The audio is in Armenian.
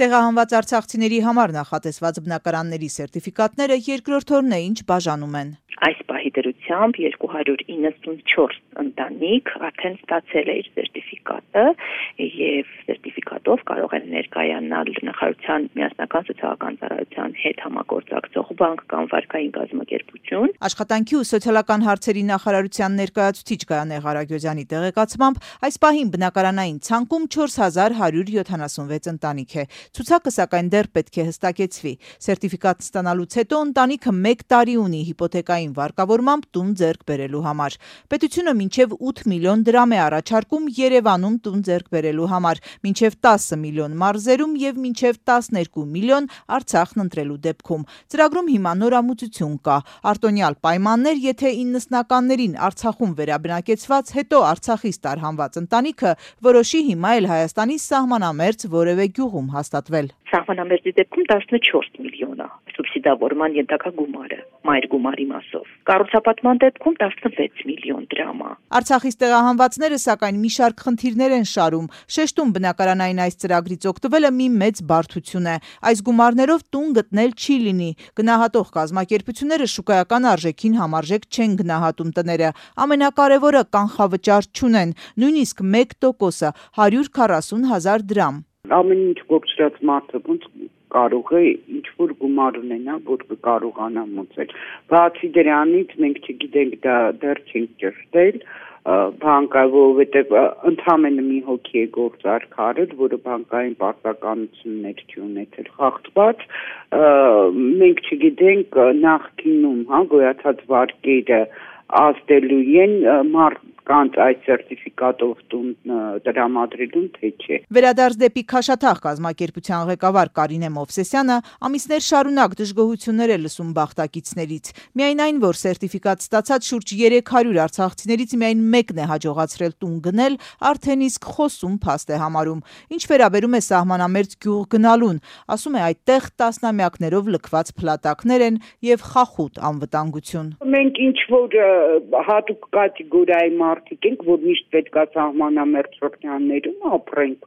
Տեղահանված արցախցիների համար նախատեսված բնակարանների սերտիֆիկատները երկրորդ օրն է, ինչ բաժանում են։ Այս պահի դրությամբ 294 ընտանիք արդեն ստացել է իր սերտիֆիկատը եւ սերտիֆիկատով կարող են ներկայանալ նախարարության միասնական սոցիալական ծառայության հետ համագործակցող բանկ կամ վարկային կազմակերպություն։ Աշխատանքի ու սոցիալական հարցերի նախարարության ներկայացուցիչ Գայանե Ղարագյոզյանի տեղեկացմամբ այս պահին բնակարանային ցանկում 4176 ընտանիք է։ Ցուցակը սակայն դեռ պետք է հստակեցվի։ Սերտիֆիկատ ստանալուց հետո ընտանիքը 1 տարի ունի հիպոթեկային վարկավորմամբ տուն ձեռք բերելու համար։ Պետությունը մինչև 8 միլիոն դրամ է առաջարկում Երևանում տուն ձեռք բերելու համար, մինչև 10 միլիոն մարզերում եւ մինչև 12 միլիոն Արցախն ընտրելու դեպքում։ Ծրագրում հիմա նորամուծություն կա։ Արտոնյալ պայմաններ, եթե 90-ականներին Արցախում վերաբնակեցված, հետո Արցախից տարհանված ընտանիքը որոշի հիմա էլ Հայաստանի սահմանամերձ որևէ գյուղում հաստատվել։ Սահմանամերձի դեպքում 14 միլիոն է սուբսիդավորման ենթակա գումարը, մայր գումարի մասով։ Կառուցապատման դեպքում 16 միլիոն դրամ է։ Արցախից տեղահանվածները սակայն մի շարք խնդիրներ են շարում։ Շեշտում բնակարանային այս ծրագրից օգտվելը մի մեծ բարդություն է։ Այս գումարներով տուն գտնել չի լինի։ Գնահատող կազմակերպությունները շուկայական արժեքին համարժեք չեն գնահատում տները։ Ամենակարևորը կանխավճար չունեն, նույնիսկ 1%-ը 140,000 դրամ։ Ամեն ինչ կոչրած մարդը ոնց կարող է ինչ-որ գումար ունենա, որ կարողանա մուծել։ Բացի դրանից մենք չգիտենք դա դեռ չենք ճշտել, բանկը, որովհետև ընդհանրապես մի հոգի է գործարք արել, որը բանկային պարտականություններ չի ունեցել խախտված, մենք չգիտենք նախկինում, գոյացած վարկերը ազդելու են կանց այս սերտիֆիկատով տուն տրամադրելուն թե չէ։ Վերադարձ դեպի Քաշաթաղ կազմակերպության ղեկավար Կարինե Մովսեսյանը ամիսներ շարունակ դժգոհություններ է լսում բախտակիցներից։ Միայն այն, որ սերտիֆիկատ ստացած շուրջ 300 արցախցիներից միայն մեկն է հաջողացրել տուն գնել, արդեն իսկ խոսում փաստ է համարում։ Ինչ վերաբերում է սահմանամերձ գյուղ գնալուն, ասում է այդտեղ տասնամյակներով լքված փլատակներ են եւ խախուտ անվտանգություն։ Մենք ինչ որ հատուկ կատեգորիայի մարդիկ ենք, որ միշտ պետք է սահմանամերձ շրջաններում ապրենք։